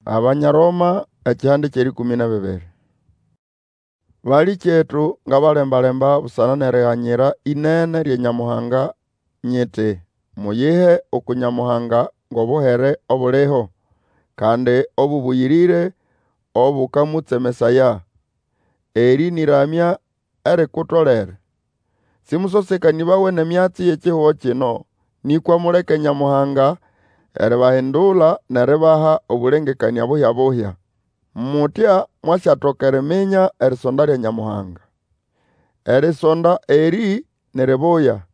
Abanya Roma ekihande ky'erĩkũmĩ n'ebibiri. Balĩkyetu, ngabalemba-lemba busana n'eriganyira ĩnene lya Nyamuhanga, nyiti, muyihe uku Nyamuhanga ng'obuhere obuliho, kandi obũbũyĩrĩre obũkamũtsemesaya. Erĩ n'ĩramya erikutolere. Sĩmũsosekanĩbawe n'emyatsi y'ekihugo kino, nĩkwa muleke Nyamuhanga eribahindula n'eribaha obũlengekanĩa buhya-buhya. Mutya mwasyatoka eriminya erisonda lya Nyamuhanga. Erisonda erĩ ni ribuya,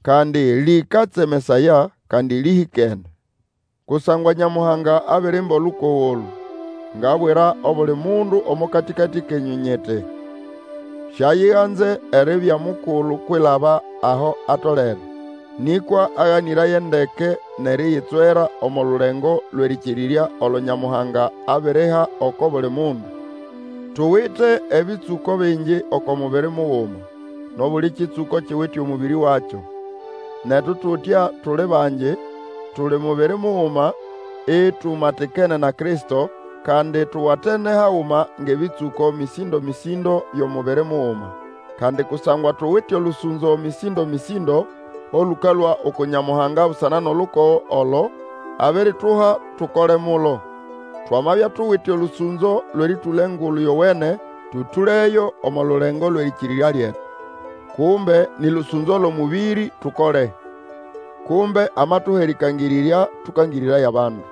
kandi lĩkatsemesaya, kandi lĩhĩkene. Kusangwa Nyamuhanga abirimba olukogo olũ. Ngabwira obuli mundu omo katĩkatĩ kenyũ nyiti, Siayiganze eribya mukulu kwilaba aho atolere, nĩkwa aganĩraye ndeke n'eriyitswera omo lulengo lw'erĩkĩrĩrya olo Nyamuhanga abiriha oko buli mundu. Tuwite ebĩtsũko bingi oko mubiri muguma, n'obuli kĩtsũko kiwite omũbĩrĩ wakyo. Netu tutya tuli bangi, tuli mubiri muguma, itumatikene na Kristo, kandi tuwatene haguma ng'ebĩtsũko mĩsĩndo-mĩsĩndo by'omubiri muguma. Kandi kusangwa tuwite olũsũnzo mĩsĩndo-mĩsĩndo olũkalũa uku Nyamuhanga busana n'olukogo olo abirituha tukole mulo. Twamabya tuwite olũsũnzo lw'erĩtũla Engulu Yowene, tũtũleyo omo lulengo lw'erĩkĩrĩrya lyetu. Kumbe nĩ lũsũnzo l'omũbĩrĩ, tukole. Kumbe amatuha erĩkangĩrĩrya, tũkangĩrĩraye abandu.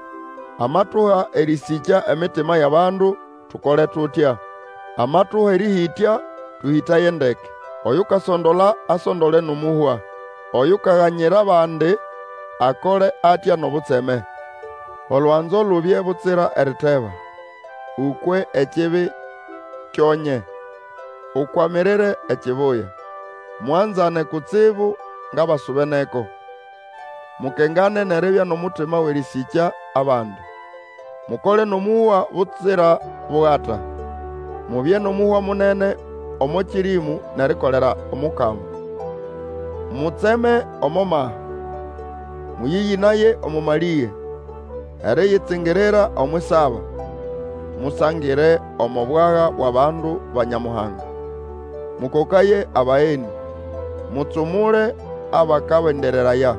Amatuha erĩsĩkya emitima y'abandu, tukole tutya. Amatuha erĩhĩtya, tũhĩtaye ndeke. Oyukasondola asondole n'omũhwa. Oyukaganyira abandi, akole atya n'obutseme. Olwanzo lubye butsira eriteba. Ũkwe ekibi, kyonye, ukwamirire ekibuya. Mwanzane kutsibu ng'abasubeneko. Mukengane n'eribya n'omutima w'erĩsĩkya abandi. Mukole n'omũhwa butsira bugata. Mubye n'omũhwa munene omo kĩrĩmũ n'erikolera Omukama. Mutseme omo maha. Mũyĩyĩnaye omo malĩge, eriyitsingirira omw'isaba. Musangire omo bwaga bw'abandu ba Nyamuhanga. Mũkokaye abagenĩ. Mutsumule abakabendereraya.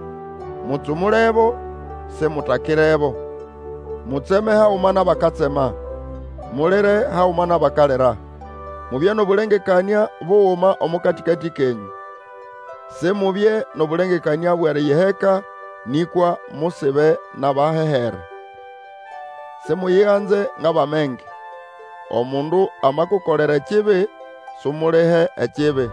Mutsumulebo, simutakirebo. Mutseme haguma n'abakatsema. Mulire haguma n'abakalira. Mubye n'obũlengekanĩa buguma omo katĩkatĩ kenyũ. Simubye n'obũlengekanĩa bw'eriyiheka, nĩkwa musibe n'abahehere. Simuyiganze ng'abamenge. Omundu amakukolera ekibi, sumulihe ekibi.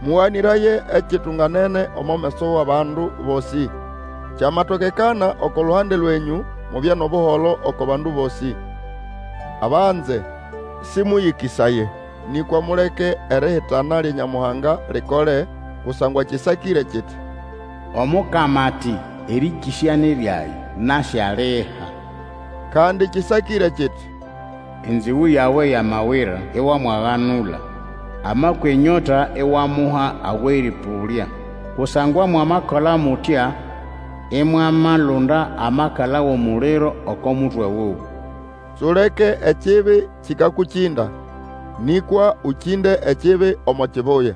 Mũganĩraye ekitunganene omo meso w'abandu bosĩ. Kyamatokekana oko luhande lwenyũ, mubye n'obuholo oko bandu bosĩ. Abanze, sĩmũyĩkĩsaye, nĩkwa muleke erihitana lya Nyamuhanga likole, kusangwa kĩsakĩre kiti, Omukama ati, Erĩkĩsya ni lyage, nasyaliha. Kandi kĩsakĩre kiti, Enzĩgũ yawe yamawira, iwamwaganula, Amakwa enyota iwamuha aw'erĩpũlya. Kusangwa mwamakola mutya, imwamalunda amakala w'omuliro oko mutwe wuwe. Suleke ekibi kĩkakũkĩnda, nĩkwa ũkĩnde ekibi omo kibuya.